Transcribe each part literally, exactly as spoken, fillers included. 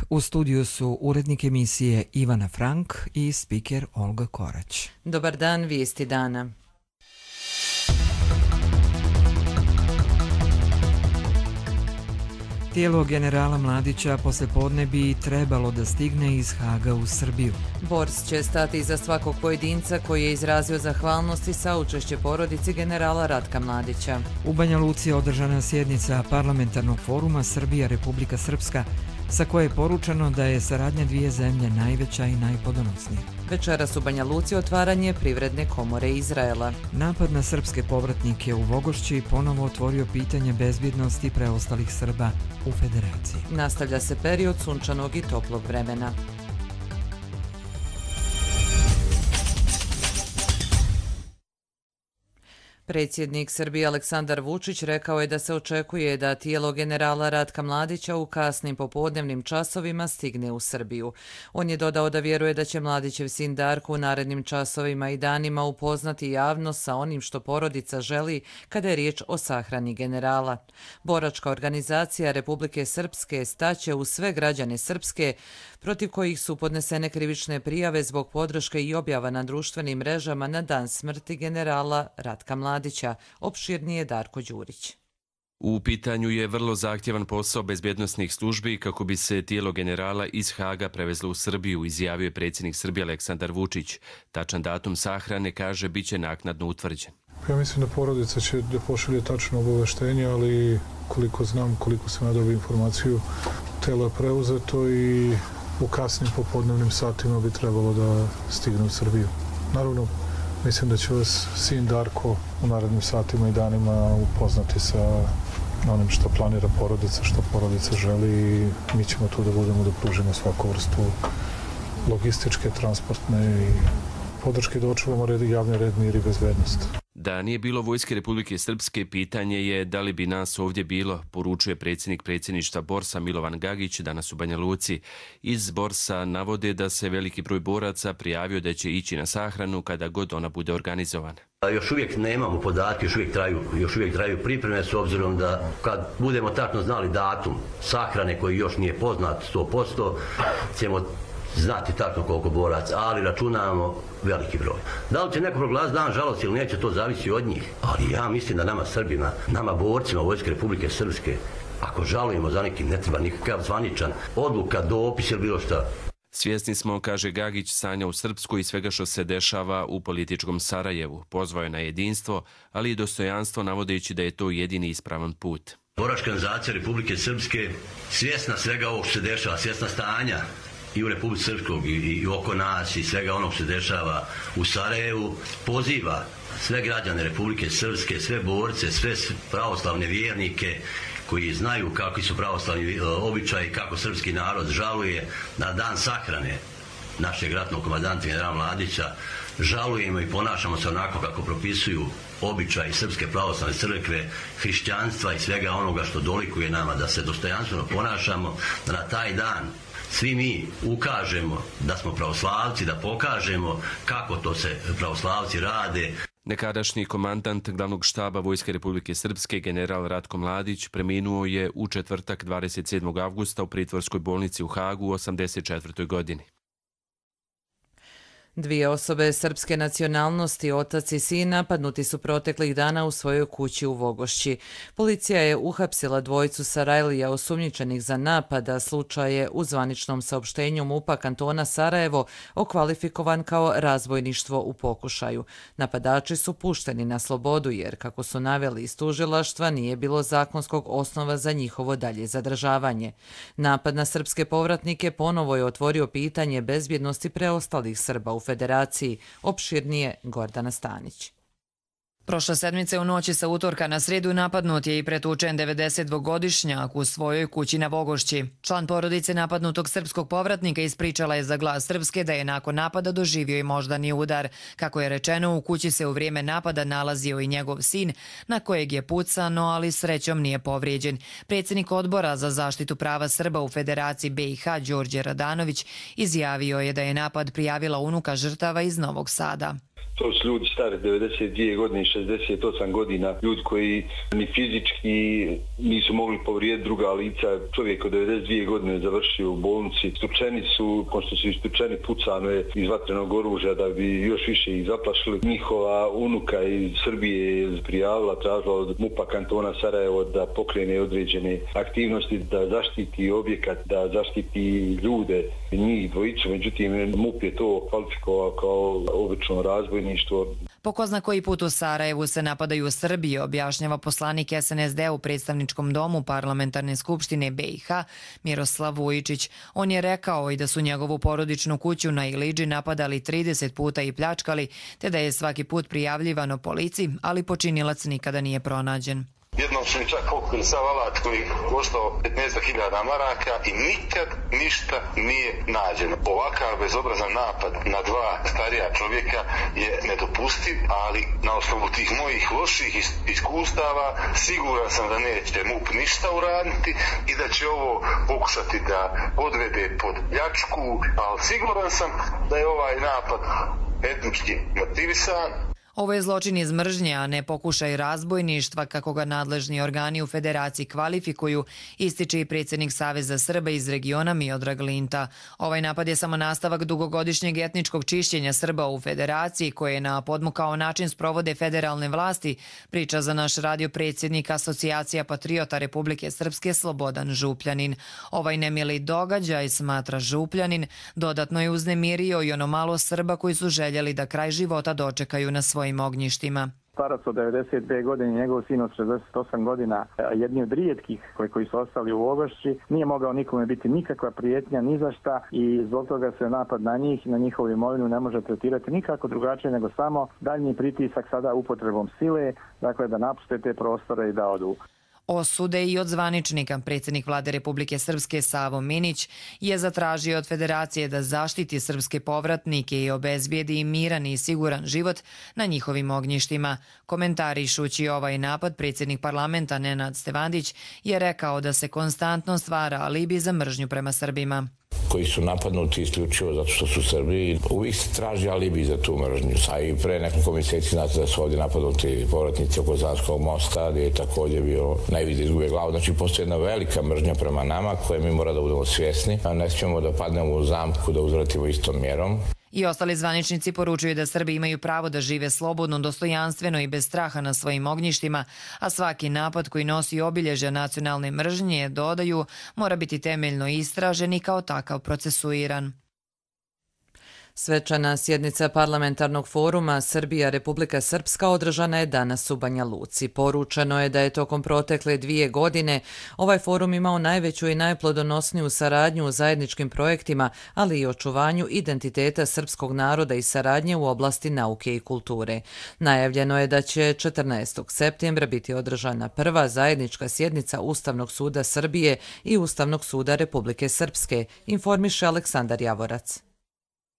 U studiju su urednik emisije Ivana Frank i spiker Olga Korać. Dobar dan, vijesti dana. Tijelo generala Mladića poslijepodne bi trebalo da stigne iz Haga u Srbiju. Bors će stati iza svakog pojedinca koji je izrazio zahvalnost i saučešće porodici generala Ratka Mladića. U Banja Luci je održana sjednica parlamentarnog foruma Srbija-Republika Srpska, sa koje je poručeno da je saradnja dvije zemlje najveća i najplodonosnija. Večeras u Banja Luci otvaranje Privredne komore Izraela. Napad na srpske povratnike u Vogošći ponovo otvorio pitanje bezbjednosti preostalih Srba u Federaciji. Nastavlja se period sunčanog i toplog vremena. Predsjednik Srbije Aleksandar Vučić rekao je da se očekuje da tijelo generala Ratka Mladića u kasnim popodnevnim časovima stigne u Srbiju. On je dodao da vjeruje da će Mladićev sin Darko u narednim časovima i danima upoznati javnost sa onim što porodica želi kada je riječ o sahrani generala. Boračka organizacija Republike Srpske staće u sve građane Srpske protiv kojih su podnesene krivične prijave zbog podrške i objava na društvenim mrežama na dan smrti generala Ratka Mladića. Opširnije Darko Đurić. U pitanju je vrlo zahtjevan posao bezbjednosnih službi kako bi se tijelo generala iz Haga prevezlo u Srbiju, izjavio je predsjednik Srbije Aleksandar Vučić. Tačan datum sahrane, kaže, bit će naknadno utvrđen. Ja mislim da porodica će da pošalje tačno obaveštenje, ali koliko znam, koliko sam ja dobio informaciju, telo je preuzeto i u kasnim popodnevnim satima bi trebalo da stigne u Srbiju. Naravno, mislim da će vas sin Darko u narednim satima i danima upoznati sa onim što planira porodica, što porodica želi i mi ćemo tu da budemo da pružimo svaku vrstu logističke, transportne i podrške da očuvamo red, javni red, mir i bezbednost. Da nije bilo Vojske Republike Srpske, pitanje je da li bi nas ovdje bilo, poručuje predsjednik predsjedništva Borsa Milovan Gagić danas u Banja Luci. Iz Borsa navode da se veliki broj boraca prijavio da će ići na sahranu kada god ona bude organizovana. Još uvijek nemamo podatke, još uvijek traju, još uvijek traju pripreme s obzirom da kad budemo tačno znali datum sahrane koji još nije poznat sto posto, ćemo znati tačno koliko boraca, ali računamo veliki broj. Da li će neko proglasiti dan žalosti ili neće, to zavisi od njih. Ali ja mislim da nama Srbima, nama borcima Vojske Republike Srpske, ako žalujemo za nekim, ne treba nikakav zvaničan odluka, dopis ili bilo šta. Svjesni smo, kaže Gagić, stanja u Srpskoj i svega što se dešava u političkom Sarajevu. Pozvao je na jedinstvo, ali i dostojanstvo, navodeći da je to jedini ispravan put. Boračka organizacija Republike Srpske, svjesna svega ovog što se dešava, svjesna stanja i u Republici Srpskog i, i oko nas i svega onog što se dešava u Sarajevu, poziva sve građane Republike Srpske, sve borce, sve pravoslavne vjernike koji znaju kakvi su pravoslavni običaji, kako srpski narod žaluje na dan sahrane našeg ratnog komandanta generala Mladića. Žalujemo i ponašamo se onako kako propisuju običaji Srpske pravoslavne crkve, hrišćanstva i svega onoga što dolikuje nama, da se dostojanstveno ponašamo, da na taj dan svi mi ukažemo da smo pravoslavci, da pokažemo kako to se pravoslavci rade. Nekadašnji komandant glavnog štaba Vojske Republike Srpske, general Ratko Mladić, preminuo je u četvrtak dvadeset sedmog avgusta u pritvorskoj bolnici u Hagu u osamdeset četvrtoj godini. Dvije osobe srpske nacionalnosti, otac i sin, napadnuti su proteklih dana u svojoj kući u Vogošći. Policija je uhapsila dvojicu Sarajlija osumnjičenih za napada. Slučaj je u zvaničnom saopštenju MUP-a kantona Sarajevo okvalifikovan kao razbojništvo u pokušaju. Napadači su pušteni na slobodu jer, kako su naveli iz tužilaštva, nije bilo zakonskog osnova za njihovo dalje zadržavanje. Napad na srpske povratnike ponovo je otvorio pitanje bezbjednosti preostalih Srba u Federaciji. Opširnije Gordana Stanić. Prošle sedmice u noći sa utorka na sredu napadnut je i pretučen devedesetdvogodišnjak u svojoj kući na Vogošći. Član porodice napadnutog srpskog povratnika ispričala je za Glas Srpske da je nakon napada doživio i moždani udar. Kako je rečeno, u kući se u vrijeme napada nalazio i njegov sin, na kojeg je pucano, ali srećom nije povrijeđen. Predsjednik odbora za zaštitu prava Srba u Federaciji B i H Đorđe Radanović izjavio je da je napad prijavila unuka žrtava iz Novog Sada. To su ljudi stari devedeset dvije godine i šezdeset osam godina, ljudi koji ni fizički nisu mogli povrijediti druga lica. Čovjek od devedeset dvije godine završio u bolnici. Istučeni su, pošto su istučeni, pucano je iz vatrenog oružja da bi još više ih zaplašili. Njihova unuka iz Srbije je prijavila, tražila od MUP-a kantona Sarajevo da pokrene određene aktivnosti, da zaštiti objekat, da zaštiti ljude, njih dvojicu. Međutim, MUP je to kvalifikovao kao obično razbojništvo. Po ko zna koji put u Sarajevu se napadaju Srbije, objašnjava poslanik S N S D u predstavničkom domu Parlamentarne skupštine B i H Miroslav Vujičić. On je rekao i da su njegovu porodičnu kuću na Iliđi napadali trideset puta i pljačkali, te da je svaki put prijavljivano policiji, ali počinilac nikada nije pronađen. Jednom su mi čak pokrili sav alat koji koštao petnaest hiljada maraka i nikad ništa nije nađeno. Ovakav bezobrazan napad na dva starija čovjeka je nedopustiv, ali na osnovu tih mojih loših iskustava siguran sam da neće MUP ništa uraditi i da će ovo pokušati da odvede pod pljačku, ali siguran sam da je ovaj napad etnički motivisan. Ovo je zločin iz mržnje, a ne pokušaj razbojništva, kako ga nadležni organi u Federaciji kvalifikuju, ističe i predsjednik Saveza Srba iz regiona Miodrag Linta. Ovaj napad je samo nastavak dugogodišnjeg etničkog čišćenja Srba u Federaciji, koje na podmukao način sprovode federalne vlasti, priča za naš radio predsjednik Asocijacija patriota Republike Srpske Slobodan Župljanin. Ovaj nemili događaj, smatra Župljanin, dodatno je uznemirio i ono malo Srba koji su željeli da kraj života dočekaju na svoj ognjištima. Starac od devedeset dvije godine, njegov sin od šezdeset osam godina, jedni od rijetkih koji, koji su ostali u Vogošći, nije mogao nikome biti nikakva prijetnja, ni za šta, i zbog toga se napad na njih, na njihovu imovinu ne može tretirati nikako drugačije nego samo daljnji pritisak sada upotrebom sile, dakle da napuste te prostore i da odu. Osude i od zvaničnika. Predsjednik vlade Republike Srpske Savo Minić je zatražio od Federacije da zaštiti srpske povratnike i obezbijedi im miran i siguran život na njihovim ognjištima. Komentarišući ovaj napad, predsjednik parlamenta Nenad Stevandić je rekao da se konstantno stvara alibi za mržnju prema Srbima. Koji su napadnuti isključivo zato što su Srbi, uvijek se traži alibi za tu mržnju. A i pre nekoliko mjeseci znate da su ovdje napadnuti povratnici oko Zanskog mosta, gdje je također bio najviše izgube glavu. Znači, postoji jedna velika mržnja prema nama koje mi mora da budemo svjesni. A ne smijemo da padnemo u zamku, da uzvratimo istom mjerom. I ostali zvaničnici poručuju da Srbi imaju pravo da žive slobodno, dostojanstveno i bez straha na svojim ognjištima, a svaki napad koji nosi obilježja nacionalne mržnje, dodaju, mora biti temeljno istražen i kao takav procesuiran. Svečana sjednica parlamentarnog foruma Srbija Republika Srpska održana je danas u Banja Luci. Poručeno je da je tokom protekle dvije godine ovaj forum imao najveću i najplodonosniju saradnju u zajedničkim projektima, ali i očuvanju identiteta srpskog naroda i saradnje u oblasti nauke i kulture. Najavljeno je da će četrnaestog septembra biti održana prva zajednička sjednica Ustavnog suda Srbije i Ustavnog suda Republike Srpske, informiše Aleksandar Javorac.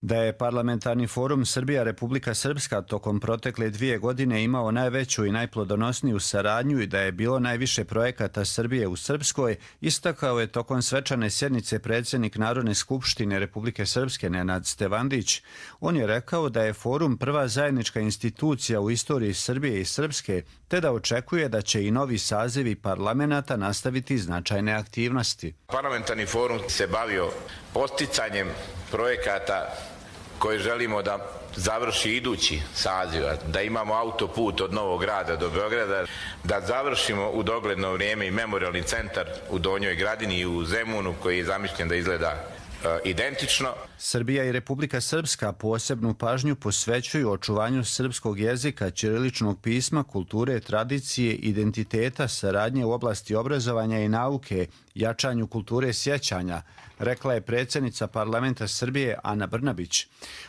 Da je parlamentarni forum Srbija Republika Srpska tokom protekle dvije godine imao najveću i najplodonosniju saradnju i da je bilo najviše projekata Srbije u Srpskoj, istakao je tokom svečane sjednice predsjednik Narodne skupštine Republike Srpske Nenad Stevandić. On je rekao da je forum prva zajednička institucija u istoriji Srbije i Srpske, te da očekuje da će i novi sazivi parlamenta nastaviti značajne aktivnosti. Parlamentarni forum se bavio posticanjem projekata koje želimo da završi idući saziv, da imamo autoput od Novog Grada do Beograda, da završimo u dogledno vrijeme i memorialni centar u Donjoj Gradini i u Zemunu koji je zamišljen da izgleda identično. Srbija i Republika Srpska posebnu pažnju posvećuju očuvanju srpskog jezika, ćiriličnog pisma, kulture, tradicije, identiteta, saradnje u oblasti obrazovanja i nauke, jačanju kulture sjećanja, rekla je predsjednica parlamenta Srbije Ana Brnabić.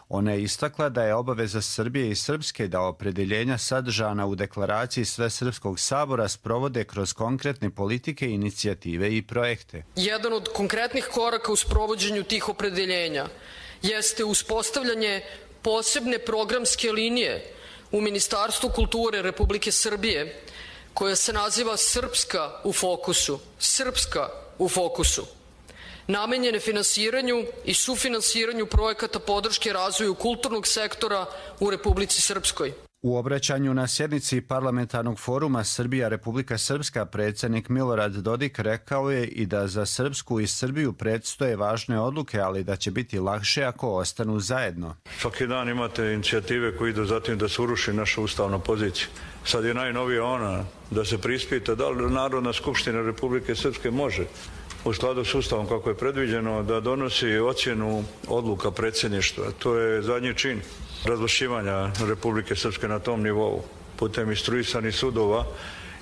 Ona je istakla da je obaveza Srbije i Srpske da opredeljenja sadržana u deklaraciji Svesrpskog sabora sprovode kroz konkretne politike, inicijative i projekte. Jedan od konkretnih koraka u sprovođenju tih opredeljenja jeste uspostavljanje posebne programske linije u Ministarstvu kulture Republike Srbije koja se naziva Srpska u fokusu. Srpska u fokusu. namenjene finansiranju i sufinansiranju projekata podrške razvoju kulturnog sektora u Republici Srpskoj. U obraćanju na sjednici Parlamentarnog foruma Srbija-Republika Srpska predsjednik Milorad Dodik rekao je i da za Srpsku i Srbiju predstoje važne odluke, ali da će biti lakše ako ostanu zajedno. Svaki dan imate inicijative koje idu zatim da se uruši naša ustavna pozicija. Sad je najnovija ona da se prispita da li Narodna skupština Republike Srpske može u skladu s ustavom kako je predviđeno da donosi ocjenu odluka predsjedništva. To je zadnji čin razvlašćivanja Republike Srpske na tom nivou putem instruisanih sudova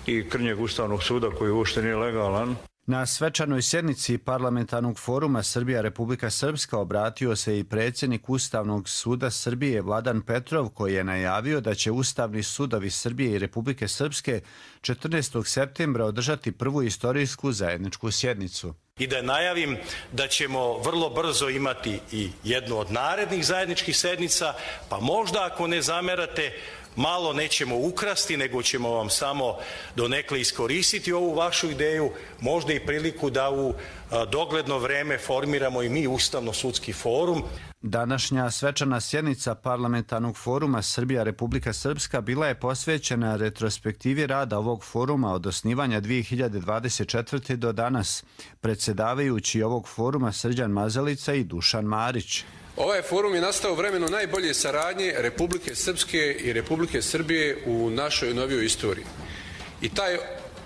i krnjeg Ustavnog suda koji uopšte nije legalan. Na svečanoj sjednici Parlamentarnog foruma Srbija-Republika Srpska obratio se i predsjednik Ustavnog suda Srbije Vladan Petrov, koji je najavio da će Ustavni sudovi Srbije i Republike Srpske četrnaestog septembra održati prvu istorijsku zajedničku sjednicu. I da najavim da ćemo vrlo brzo imati i jednu od narednih zajedničkih sednica, pa možda ako ne zamerate, malo nećemo ukrasti, nego ćemo vam samo donekle iskoristiti ovu vašu ideju, možda i priliku da u dogledno vreme formiramo i mi Ustavno-sudski forum. Današnja svečana sjednica Parlamentarnog foruma Srbija-Republika Srpska bila je posvećena retrospektivi rada ovog foruma od osnivanja dvije hiljade dvadeset četvrte. do danas. Predsjedavajući ovog foruma Srđan Mazalica i Dušan Marić. Ovaj forum je nastao u vremenu najbolje saradnje Republike Srpske i Republike Srbije u našoj novijoj istoriji. I taj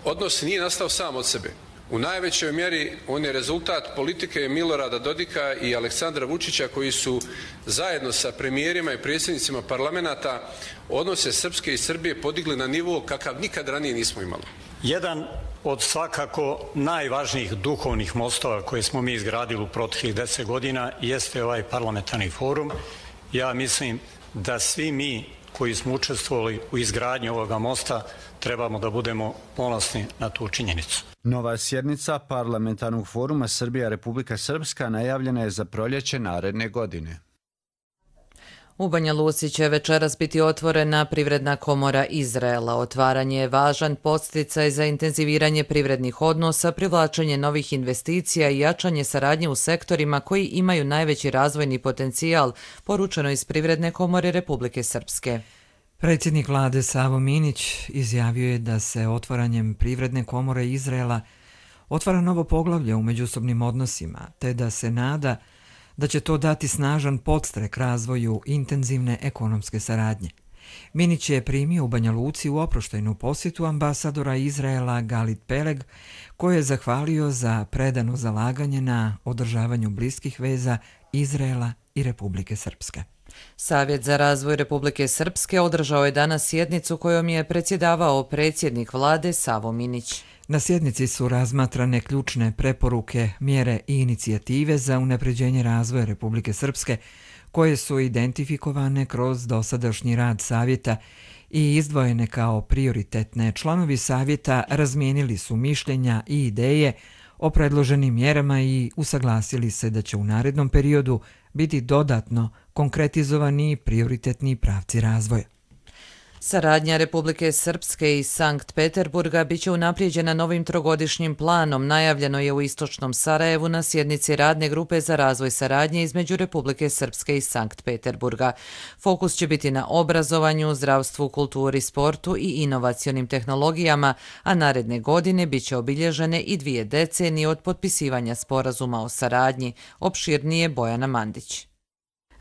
odnos nije nastao sam od sebe. U najvećoj mjeri on je rezultat politike Milorada Dodika i Aleksandra Vučića, koji su zajedno sa premijerima i predsjednicima parlamenta odnose Srpske i Srbije podigli na nivo kakav nikad ranije nismo imali. Jedan od svakako najvažnijih duhovnih mostova koje smo mi izgradili u proteklih deset godina jeste ovaj parlamentarni forum. Ja mislim da svi mi koji smo učestvovali u izgradnji ovoga mosta trebamo da budemo ponosni na tu činjenicu. Nova sjednica Parlamentarnog foruma Srbija-Republika Srpska najavljena je za proljeće naredne godine. U Banja Luci će večeras biti otvorena Privredna komora Izraela. Otvaranje je važan podsticaj za intenziviranje privrednih odnosa, privlačenje novih investicija i jačanje saradnje u sektorima koji imaju najveći razvojni potencijal, poručeno iz Privredne komore Republike Srpske. Predsjednik vlade Savo Minić izjavio je da se otvaranjem Privredne komore Izraela otvara novo poglavlje u međusobnim odnosima, te da se nada da će to dati snažan podstrek razvoju intenzivne ekonomske saradnje. Minić je primio u Banja Luci u oproštajnu posjetu ambasadora Izraela Galit Peleg, koji je zahvalio za predano zalaganje na održavanju bliskih veza Izraela i Republike Srpske. Savjet za razvoj Republike Srpske održao je danas sjednicu kojom je predsjedavao predsjednik vlade Savo Minić. Na sjednici su razmatrane ključne preporuke, mjere i inicijative za unapređenje razvoja Republike Srpske, koje su identifikovane kroz dosadašnji rad savjeta i izdvojene kao prioritetne. Članovi savjeta razmijenili su mišljenja i ideje o predloženim mjerama i usaglasili se da će u narednom periodu biti dodatno konkretizovani prioritetni pravci razvoja. Saradnja Republike Srpske i Sankt Peterburga biće unaprijeđena novim trogodišnjim planom, najavljeno je u istočnom Sarajevu na sjednici radne grupe za razvoj saradnje između Republike Srpske i Sankt Peterburga. Fokus će biti na obrazovanju, zdravstvu, kulturi, sportu i inovacionim tehnologijama, a naredne godine biće obilježene i dvije decenije od potpisivanja sporazuma o saradnji, opširnije Bojana Mandić.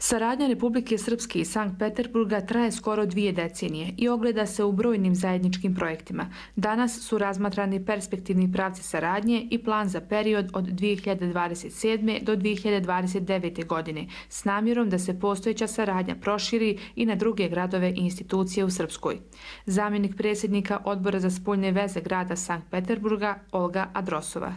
Saradnja Republike Srpske i Sankt Peterburga traje skoro dvije decenije i ogleda se u brojnim zajedničkim projektima. Danas su razmatrani perspektivni pravci saradnje i plan za period od dvije hiljade dvadeset sedme. do dvije hiljade dvadeset devete. godine s namjerom da se postojeća saradnja proširi i na druge gradove i institucije u Srpskoj. Zamjenik predsjednika Odbora za spoljne veze grada Sankt Peterburga Olga Adrosova.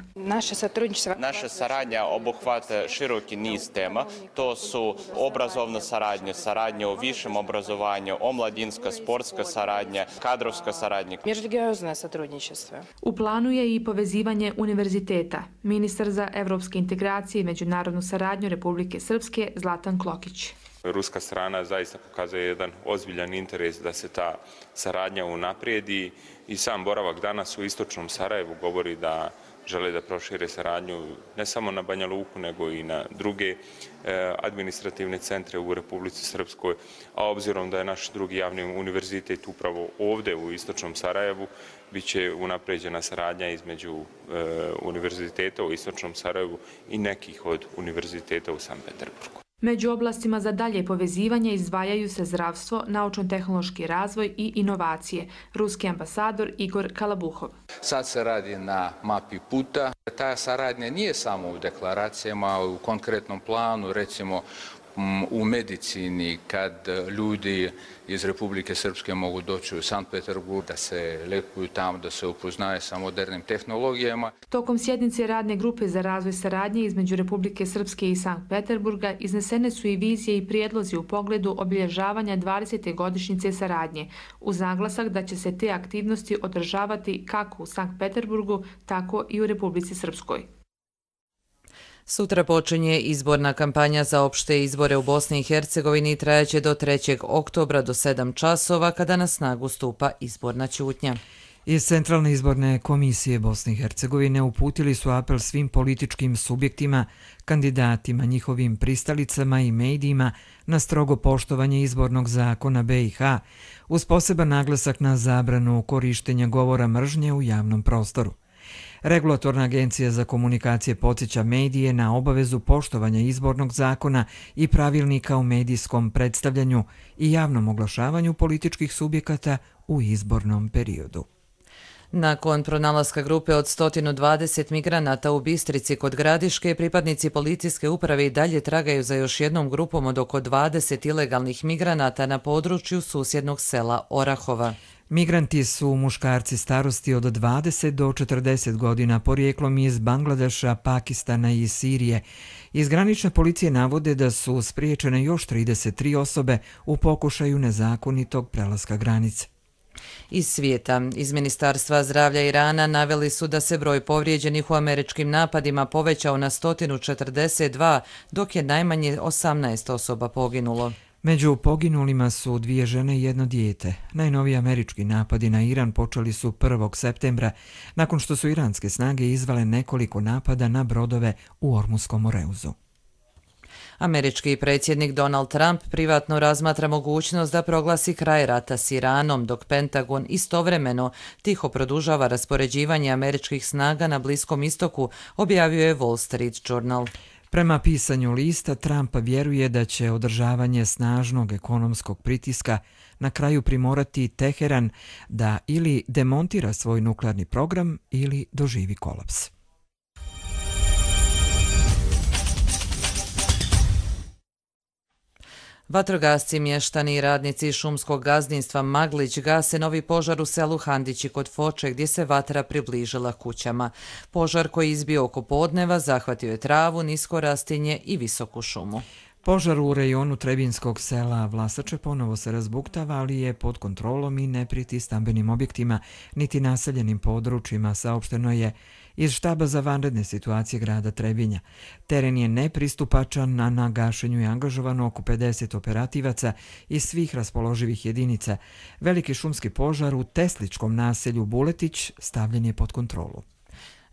Naša saradnja obuhvata široki niz tema. To su obrazovna saradnja, saradnja o višem obrazovanju, omladinska, sportska saradnja, kadrovska saradnja. U planu je i povezivanje univerziteta. Ministar za evropske integracije i međunarodnu saradnju Republike Srpske Zlatan Klokić. Ruska strana zaista pokazuje jedan ozbiljan interes da se ta saradnja unaprijedi i sam boravak danas u istočnom Sarajevu govori da žele da prošire saradnju ne samo na Banja Luku, nego i na druge administrativne centre u Republici Srpskoj, a obzirom da je naš drugi javni univerzitet upravo ovde u istočnom Sarajevu, bit će unapređena saradnja između univerziteta u istočnom Sarajevu i nekih od univerziteta u Sankt Peterburgu. Među oblastima za dalje povezivanje izdvajaju se zdravstvo, naučno-tehnološki razvoj i inovacije. Ruski ambasador Igor Kalabuhov. Sad se radi na mapi puta. Ta saradnja nije samo u deklaracijama, u konkretnom planu, recimo u medicini, kad ljudi iz Republike Srpske mogu doći u Sankt Peterburg, da se lekuju tamo, da se upoznaje sa modernim tehnologijama. Tokom sjednice radne grupe za razvoj saradnje između Republike Srpske i Sankt Peterburga iznesene su i vizije i prijedlozi u pogledu obilježavanja dvadesete godišnjice saradnje, uz naglasak da će se te aktivnosti održavati kako u Sankt Peterburgu, tako i u Republici Srpskoj. Sutra počinje izborna kampanja za opšte izbore u Bosni i Hercegovini i trajaće do trećeg oktobra do sedam časova kada na snagu stupa izborna ćutnja. Iz Centralne izborne komisije Bosne i Hercegovine uputili su apel svim političkim subjektima, kandidatima, njihovim pristalicama i medijima na strogo poštovanje izbornog zakona be i ha, uz poseban naglasak na zabranu korištenja govora mržnje u javnom prostoru. Regulatorna agencija za komunikacije podsjeća medije na obavezu poštovanja izbornog zakona i pravilnika o medijskom predstavljanju i javnom oglašavanju političkih subjekata u izbornom periodu. Nakon pronalaska grupe od sto dvadeset migranata u Bistrici kod Gradiške, pripadnici policijske uprave i dalje tragaju za još jednom grupom od oko dvadeset ilegalnih migranata na području susjednog sela Orahova. Migranti su muškarci starosti od dvadeset do četrdeset godina, porijeklom iz Bangladeša, Pakistana i Sirije. Iz granične policije navode da su spriječene još trideset tri osobe u pokušaju nezakonitog prelaska granice. Iz svijeta, iz Ministarstva zdravlja Irana naveli su da se broj povrijeđenih u američkim napadima povećao na sto četrdeset dva, dok je najmanje osamnaest osoba poginulo. Među poginulima su dvije žene i jedno dijete. Najnoviji američki napadi na Iran počeli su prvog septembra, nakon što su iranske snage izvale nekoliko napada na brodove u Ormuskom moreuzu. Američki predsjednik Donald Trump privatno razmatra mogućnost da proglasi kraj rata s Iranom, dok Pentagon istovremeno tiho produžava raspoređivanje američkih snaga na Bliskom istoku, objavio je Wall Street Journal. Prema pisanju lista, Trump vjeruje da će održavanje snažnog ekonomskog pritiska na kraju primorati Teheran da ili demontira svoj nuklearni program ili doživi kolaps. Vatrogasci, mještani i radnici šumskog gazdinstva Maglić gase novi požar u selu Handići kod Foče gdje se vatra približila kućama. Požar koji izbio oko podneva zahvatio je travu, nisko rastinje i visoku šumu. Požar u rejonu Trebinskog sela Vlasače ponovo se razbuktava, ali je pod kontrolom i ne prijeti stambenim objektima niti naseljenim područjima, saopšteno je iz štaba za vanredne situacije grada Trebinja. Teren je nepristupačan, a na gašenju je angažovano oko pedeset operativaca iz svih raspoloživih jedinica. Veliki šumski požar u Tesličkom naselju Buletić stavljen je pod kontrolu.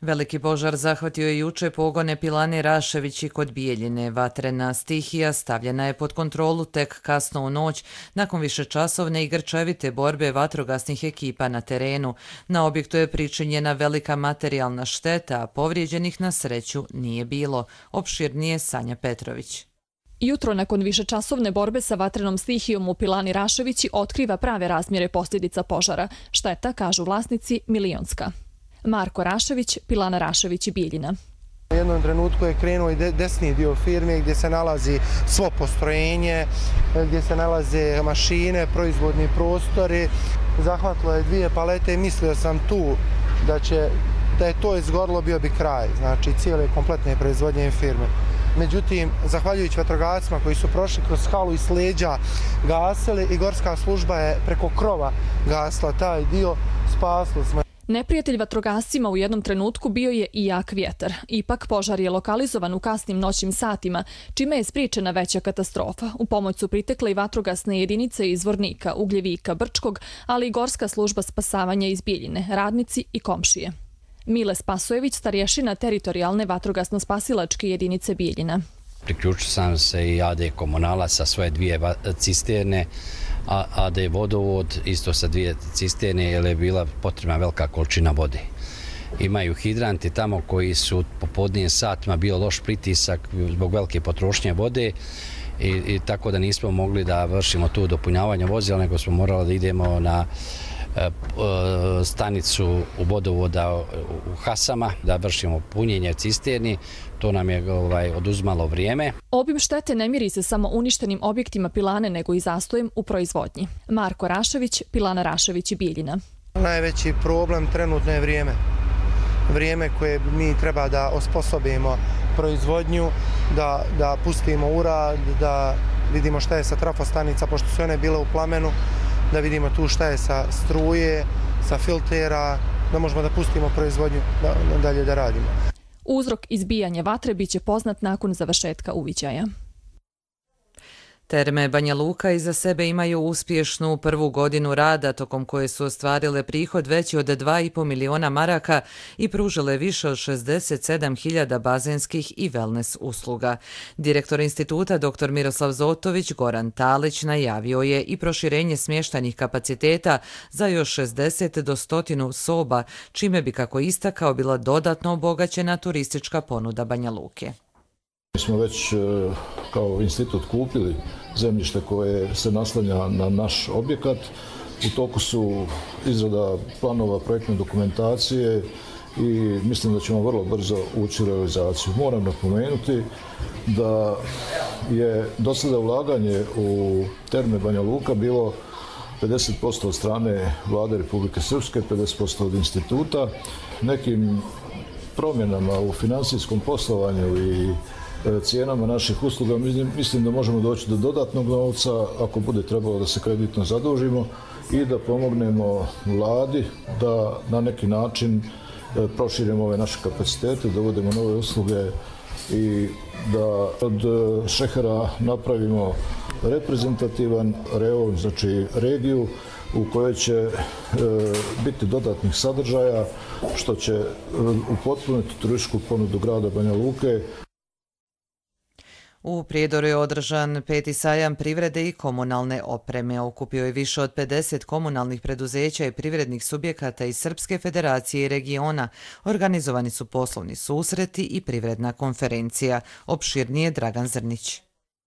Veliki požar zahvatio je juče pogone Pilane Raševići kod Bijeljine. Vatrena stihija stavljena je pod kontrolu tek kasno u noć nakon višečasovne i grčevite borbe vatrogasnih ekipa na terenu. Na objektu je pričinjena velika materijalna šteta, a povrijeđenih na sreću nije bilo. Opširnije Sanja Petrović. Jutro nakon višečasovne borbe sa vatrenom stihijom u Pilani Raševići otkriva prave razmjere posljedica požara. Šteta, kažu vlasnici, milionska. Marko Rašević, Pilana Rašević i Bijeljina. U jednom trenutku je krenuo i desni dio firme gdje se nalazi svo postrojenje, gdje se nalaze mašine, proizvodni prostori. Zahvatilo je dvije palete i mislio sam tu da će, da je to izgorilo, bio bi kraj, znači cijele kompletne proizvodnje firme. Međutim, zahvaljujući vatrogascima koji su prošli kroz halu i s leđa gasili i gorska služba je preko krova gasila taj dio, spasili smo. Neprijatelj vatrogascima u jednom trenutku bio je i jak vjetar. Ipak požar je lokalizovan u kasnim noćnim satima, čime je spriječena veća katastrofa. U pomoć su pritekle i vatrogasne jedinice iz Vornika, Ugljevika, Brčkog, ali i gorska služba spasavanja iz Bijeljine, radnici i komšije. Mile Spasojević, starješina teritorijalne vatrogasno-spasilačke jedinice Bijeljina. Priključio sam se i A D komunala sa svoje dvije cisterne, a A D vodovod isto sa dvije cisterne jer je bila potrebna velika količina vode. Imaju hidranti tamo koji su po podnijim satima bio loš pritisak zbog velike potrošnje vode i, i tako da nismo mogli da vršimo tu dopunjavanje vozila, nego smo morali da idemo na stanicu u vodovoda u Hasama da vršimo punjenje cisterni. To nam je ovaj, oduzmalo vrijeme. Obim štete ne miri se samo uništenim objektima pilane, nego i zastojem u proizvodnji. Marko Rašević, Pilana Rašević i Bijeljina. Najveći problem trenutno je vrijeme. Vrijeme koje mi treba da osposobimo proizvodnju, da, da pustimo urad, da vidimo šta je sa trafostanica, pošto su one bile u plamenu, da vidimo tu šta je sa struje, sa filtera, da možemo da pustimo proizvodnju da, dalje da radimo. Uzrok izbijanja vatre biće poznat nakon završetka uviđaja. Terme Banja Luka iza sebe imaju uspješnu prvu godinu rada, tokom koje su ostvarile prihod veći od dva i po miliona maraka i pružile više od šezdeset sedam hiljada bazenskih i wellness usluga. Direktor instituta dr Miroslav Zotović Goran Talić najavio je i proširenje smještajnih kapaciteta za još šezdeset do sto soba, čime bi, kako istakao, bila dodatno obogaćena turistička ponuda Banja Luke. Mi smo već kao institut kupili zemljište koje se naslanja na naš objekat. U toku su izrada planova projektne dokumentacije i mislim da ćemo vrlo brzo ući u realizaciju. Moram napomenuti da je do sada ulaganje u Terme Banja Luka bilo pedeset posto od strane Vlade Republike Srpske, pedeset posto od instituta. Nekim promjenama u financijskom poslovanju i cijenama naših usluga mislim da možemo doći do dodatnog novca ako bude trebalo da se kreditno zadužimo i da pomognemo vladi da na neki način proširimo ove naše kapacitete, da uvodimo nove usluge i da od šehera napravimo reprezentativan reon, znači regiju u kojoj će e, biti dodatnih sadržaja što će upotpuniti turističku ponudu grada Banja Luke. U Prijedoru je održan peti sajam privrede i komunalne opreme. Okupio je više od pedeset komunalnih preduzeća i privrednih subjekata iz Srpske federacije i regiona. Organizovani su poslovni susreti i privredna konferencija. Opširnije Dragan Zrnić.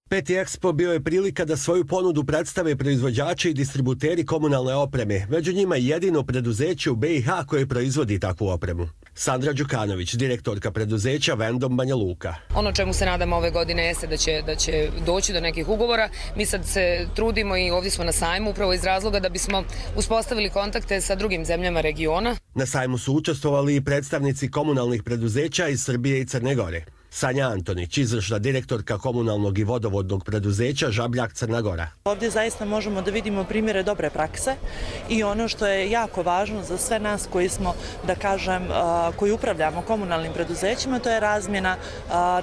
Peti Expo bio je prilika da svoju ponudu predstave proizvođači i distributeri komunalne opreme. Među njima je jedino preduzeće u B i H koje proizvodi takvu opremu. Sandra Đukanović, direktorka preduzeća Vendom Banja Luka. Ono čemu se nadamo ove godine jeste da će, da će doći do nekih ugovora. Mi sad se trudimo i ovdje smo na sajmu upravo iz razloga da bismo uspostavili kontakte sa drugim zemljama regiona. Na sajmu su učestvovali i predstavnici komunalnih preduzeća iz Srbije i Crne Gore. Sanja Antonić, izvršna direktorka komunalnog i vodovodnog preduzeća Žabljak Crna Gora. Ovdje zaista možemo da vidimo primjere dobre prakse i ono što je jako važno za sve nas koji smo, da kažem, koji upravljamo komunalnim preduzećima, to je razmjena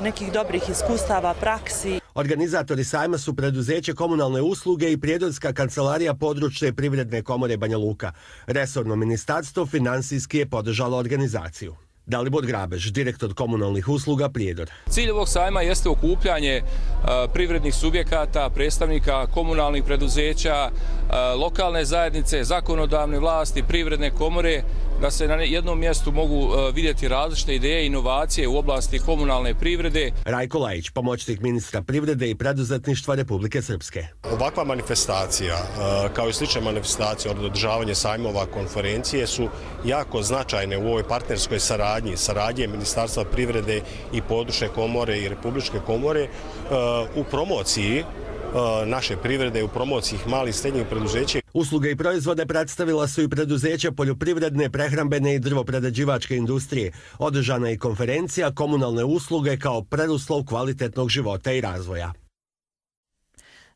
nekih dobrih iskustava, praksi. Organizatori sajma su preduzeće komunalne usluge i Prijedorska kancelarija područne privredne komore Banja Luka. Resorno ministarstvo finansijski je podržalo organizaciju. Dalibor Grabež, direktor komunalnih usluga Prijedor. Cilj ovog sajma jeste okupljanje privrednih subjekata, predstavnika komunalnih preduzeća, lokalne zajednice, zakonodavne vlasti, privredne komore, da se na jednom mjestu mogu vidjeti različite ideje i inovacije u oblasti komunalne privrede. Rajko Lajić, pomoćnik ministra privrede i preduzetništva Republike Srpske. Ovakva manifestacija, kao i slične manifestacije od održavanja sajmova konferencije, su jako značajne u ovoj partnerskoj saradnji, saradnje Ministarstva privrede i područne komore i Republičke komore u promociji naše privrede, u promociji malih i srednjih preduzeća. Usluge i proizvode predstavila su i preduzeća poljoprivredne, prehrambene i drvoprerađivačke industrije. Održana je i konferencija komunalne usluge kao preduslov kvalitetnog života i razvoja.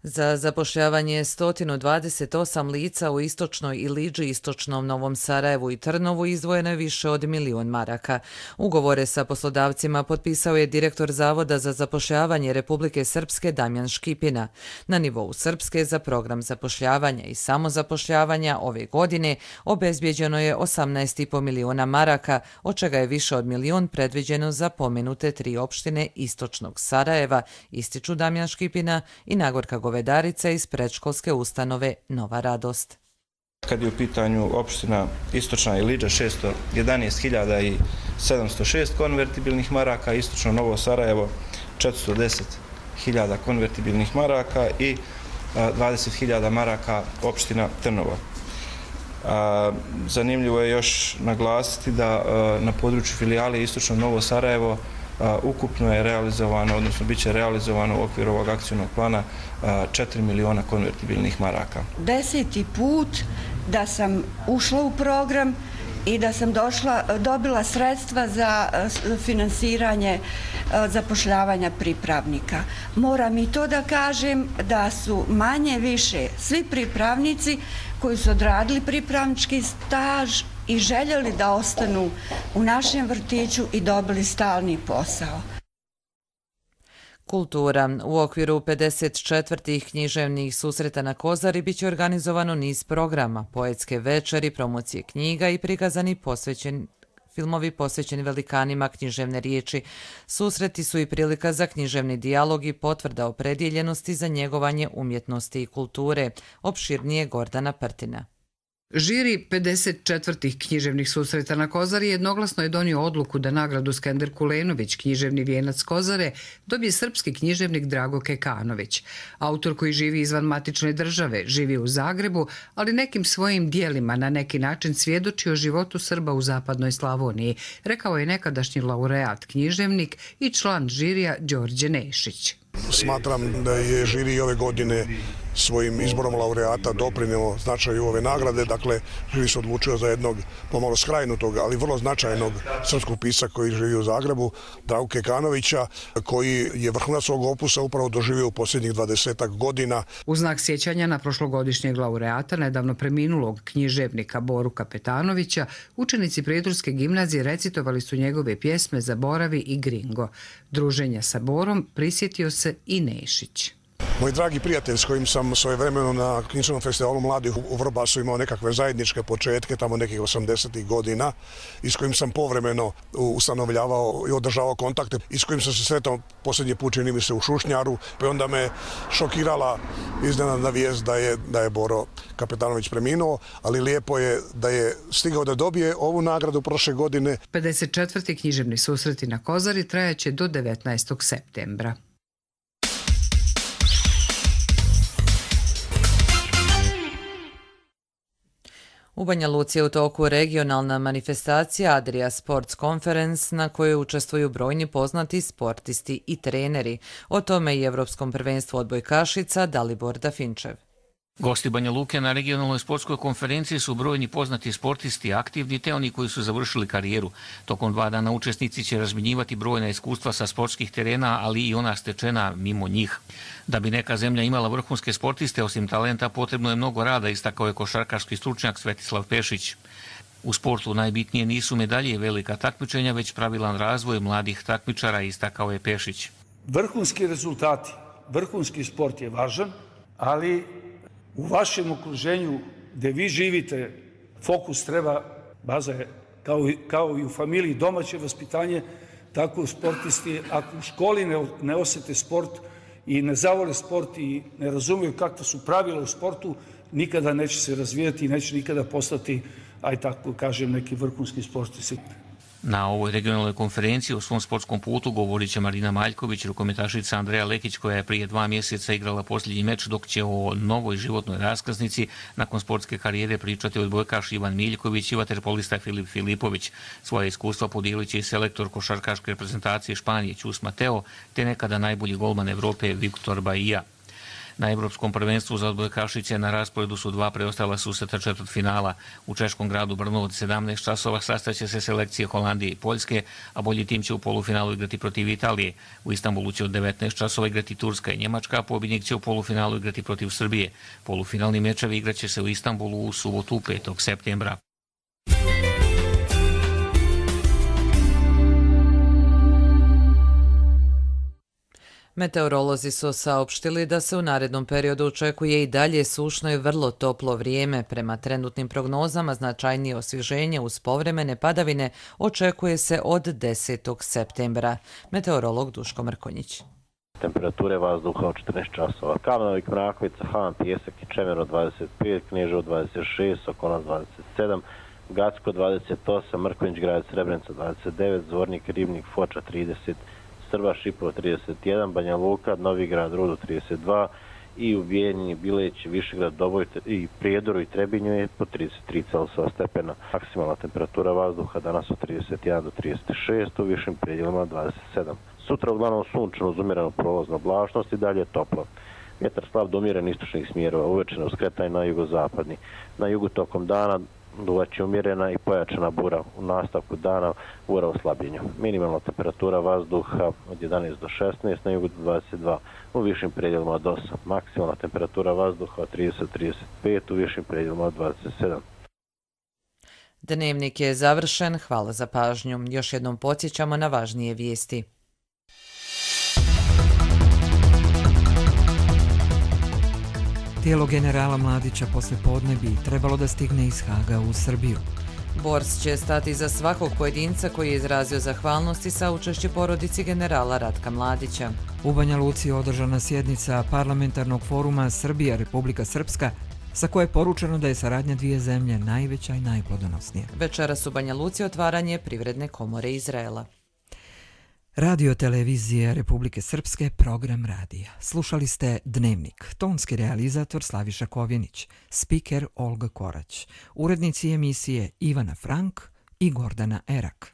Za zapošljavanje sto dvadeset osam lica u istočnoj Ilidži, istočnom Novom Sarajevu i Trnovu izdvojeno je više od milion maraka. Ugovore sa poslodavcima potpisao je direktor Zavoda za zapošljavanje Republike Srpske Damjan Škipina. Na nivou Srpske za program zapošljavanja i samozapošljavanja ove godine obezbijeđeno je osamnaest i po miliona maraka, od čega je više od milion predviđeno za pomenute tri opštine istočnog Sarajeva, ističu Damjan Škipina i Nagorka Govedarica iz predškolske ustanove Nova Radost. Kad je u pitanju opština Istočna Ilidža šesto jedanaest hiljada sedamsto šest konvertibilnih maraka, istočno Novo Sarajevo četiristo deset hiljada konvertibilnih maraka i dvadeset hiljada maraka opština Trnovo. Zanimljivo je još naglasiti da na području filijale Istočno Novo Sarajevo ukupno je realizovano, odnosno bit će realizovano u okviru ovog akcijnog plana četiri miliona konvertibilnih maraka. Deseti put da sam ušla u program i da sam došla, dobila sredstva za finansiranje zapošljavanja pripravnika. Moram i to da kažem da su manje više svi pripravnici koji su odradili pripravnički staž i željeli da ostanu u našem vrtiću i dobili stalni posao. Kultura. U okviru pedeset četvrtih književnih susreta na Kozari biće organizovano niz programa, poetske večeri, promocije knjiga i prikazani posvećeni filmovi posvećeni velikanima književne riječi. Susreti su i prilika za književni dijalog i potvrda opredjeljenosti za njegovanje umjetnosti i kulture. Opširnije Gordana Prtina. Žiri pedeset četvrtih književnih susreta na Kozari jednoglasno je donio odluku da nagradu Skender Kulenović, književni vijenac Kozare, dobije srpski književnik Drago Kekanović. Autor koji živi izvan matične države, živi u Zagrebu, ali nekim svojim dijelima na neki način svjedoči o životu Srba u zapadnoj Slavoniji, rekao je nekadašnji laureat književnik i član žirija Đorđe Nešić. Smatram da je žiri ove godine svojim izborom laureata doprineo značaju ove nagrade. Dakle, žiri se odlučio za jednog pomalo skrajnutog, ali vrlo značajnog srpskog pisca koji živi u Zagrebu, Dragu Kekanovića, koji je vrhunac svog opusa upravo doživio u posljednjih dvadesetak godina. U znak sjećanja na prošlogodišnjeg laureata, nedavno preminulog književnika Boru Kapetanovića, učenici Prijedorske gimnazije recitovali su njegove pjesme Zaboravi i Gringo. Druženja sa Borom prisjetio se i Nešić. Moj dragi prijatelj s kojim sam svojevremeno na književnom festivalu mladih u Vrbasu imao nekakve zajedničke početke, tamo nekih osamdesetih godina, i s kojim sam povremeno ustanovljavao i održavao kontakte, i s kojim sam se sretao posljednji put, čini mi se, u Šušnjaru, pa onda me šokirala iznenadna vijest da je, da je Boro Kapetanović preminuo, ali lijepo je da je stigao da dobije ovu nagradu prošle godine. pedeset četvrti književni susreti na Kozari trajaće do devetnaestog septembra. U Banja Luci je u toku regionalna manifestacija Adria Sports Conference na kojoj učestvuju brojni poznati sportisti i treneri. O tome i Evropskom prvenstvu odbojkašica Dalibor Dafinčev. Gosti Banja Luke na regionalnoj sportskoj konferenciji su brojni poznati sportisti, aktivni te oni koji su završili karijeru. Tokom dva dana učesnici će razmjenjivati brojna iskustva sa sportskih terena, ali i ona stečena mimo njih. Da bi neka zemlja imala vrhunske sportiste, osim talenta, potrebno je mnogo rada, istakao je košarkaški stručnjak Svetislav Pešić. U sportu najbitnije nisu medalje i velika takmičenja, već pravilan razvoj mladih takmičara, istakao je Pešić. Vrhunski rezultati, vrhunski sport je važan, ali u vašem okruženju gdje vi živite, fokus treba, baza je kao i, kao i u familiji domaće vaspitanje, tako u sportisti, ako u školi ne, ne osjete sport i ne zavole sport i ne razumiju kakva su pravila u sportu, nikada neće se razvijati i neće nikada postati, aj tako kažem, neki vrhunski sportisti. Na ovoj regionalnoj konferenciji o svom sportskom putu govorit će Marina Maljković, rukometašica Andreja Lekić, koja je prije dva mjeseca igrala posljednji meč, dok će o novoj životnoj raskaznici nakon sportske karijere pričati odbojkaš Ivan Miljković i vaterpolista Filip Filipović. Svoje iskustva podijelit će i selektor košarkaške reprezentacije Španije Ćus Mateo, te nekada najbolji golman Evrope Viktor Baija. Na Evropskom prvenstvu za odbojkašice na rasporedu su dva preostala susreta četvrtfinala. U češkom gradu Brno od sedamnaest časova sastaće se selekcije Holandije i Poljske, a bolji tim će u polufinalu igrati protiv Italije. U Istanbulu će od devetnaest časova igrati Turska i Njemačka, a pobjednik će u polufinalu igrati protiv Srbije. Polufinalni mečevi igraće se u Istanbulu u subotu petog septembra. Meteorolozi su saopštili da se u narednom periodu očekuje i dalje sušno i vrlo toplo vrijeme. Prema trenutnim prognozama značajnije osvježenje uz povremene padavine očekuje se od desetog septembra. Meteorolog Duško Mrkonjić. Temperature vazduha od četrnaest časova. Kamnovik, Mrakovica, Han, Pijesak i Čemeru dvadeset pet, Kneževo dvadeset šest, Sokonac dvadeset sedam, Gacko dvadeset osam, Mrkonjić, Grad Srebrenica dvadeset devet, Zvornik, Ribnik, Foča trideset, Srba, Šipovo trideset jedan, Banja Luka, Novigrad, Rudo trideset dva i u Bijeljini, Bileć, Višegrad, Doboj i Prijedoru i Trebinju je po trideset tri Celzijusova stepena. Maksimalna temperatura vazduha danas od trideset jedan do trideset šest, u višim predjelima dvadeset sedam. Sutra uglavnom sunčano uz umjerenu prolaznu oblačnost i dalje toplo. Vjetar slab do umjeren istočnih smjerova, uvečeno skretanje na jugozapadni. Na jugu tokom dana duvaće umjerena i pojačana bura, u nastavku dana bura u slabljenju. Minimalna temperatura vazduha od jedanaest do šesnaest, na jugu do dvadeset dva, u višim predjelima od osam. Maksimalna temperatura vazduha od trideset do trideset pet, u višim predjelima od dvadeset sedam. Dnevnik je završen, hvala za pažnju. Još jednom podsjećamo na važnije vijesti. Tijelo generala Mladića posle podne bi trebalo da stigne iz Haga u Srbiju. Bors će stati za svakog pojedinca koji je izrazio zahvalnost i saučešće porodici generala Ratka Mladića. U Banja Luci je održana sjednica parlamentarnog foruma Srbija-Republika Srpska, sa koje je poručeno da je saradnja dvije zemlje najveća i najplodonosnija. Večeras u Banja Luci otvaranje Privredne komore Izraela. Radio televizije Republike Srpske, program radija. Slušali ste Dnevnik, tonski realizator Slaviša Kovjenić, spiker Olga Korać, urednici emisije Ivana Frank i Gordana Erak.